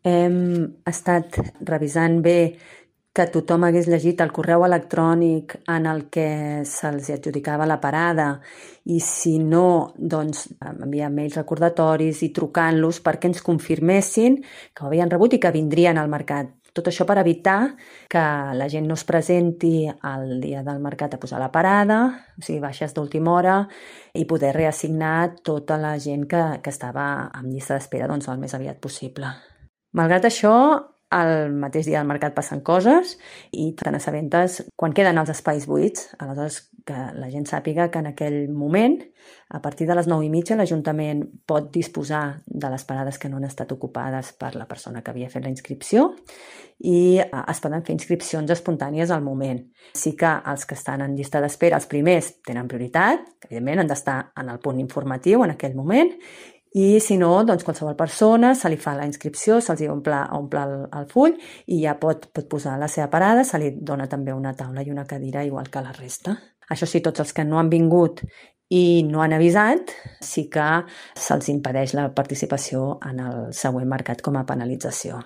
Hem estat revisant bé que tothom hagués llegit el correu electrònic en el que se'ls adjudicava la parada i si no, doncs enviar mails recordatoris i trucant-los perquè ens confirmessin que ho havien rebut i que vindrien al mercat. Tot això per evitar que la gent no es presenti el dia del mercat a posar la parada, o sigui, baixes d'última hora, i poder reassignar tota la gent que estava en llista d'espera doncs, el més aviat possible. Malgrat això, el mateix dia del mercat passen coses i te n'assabentes quan queden els espais buits. Aleshores, que la gent sàpiga que en aquell moment, a partir de les 9:30, l'Ajuntament pot disposar de les parades que no han estat ocupades per la persona que havia fet la inscripció i es poden fer inscripcions espontànies al moment. Sí que els que estan en llista d'espera, els primers, tenen prioritat, que evidentment han d'estar en el punt informatiu en aquell moment, i si no, doncs qualsevol persona se li fa la inscripció, se'ls omple el full i ja pot posar la seva parada, se li dona també una taula i una cadira igual que la resta. Això sí, tots els que no han vingut i no han avisat, sí que se'ls impedeix la participació en el següent mercat com a penalització.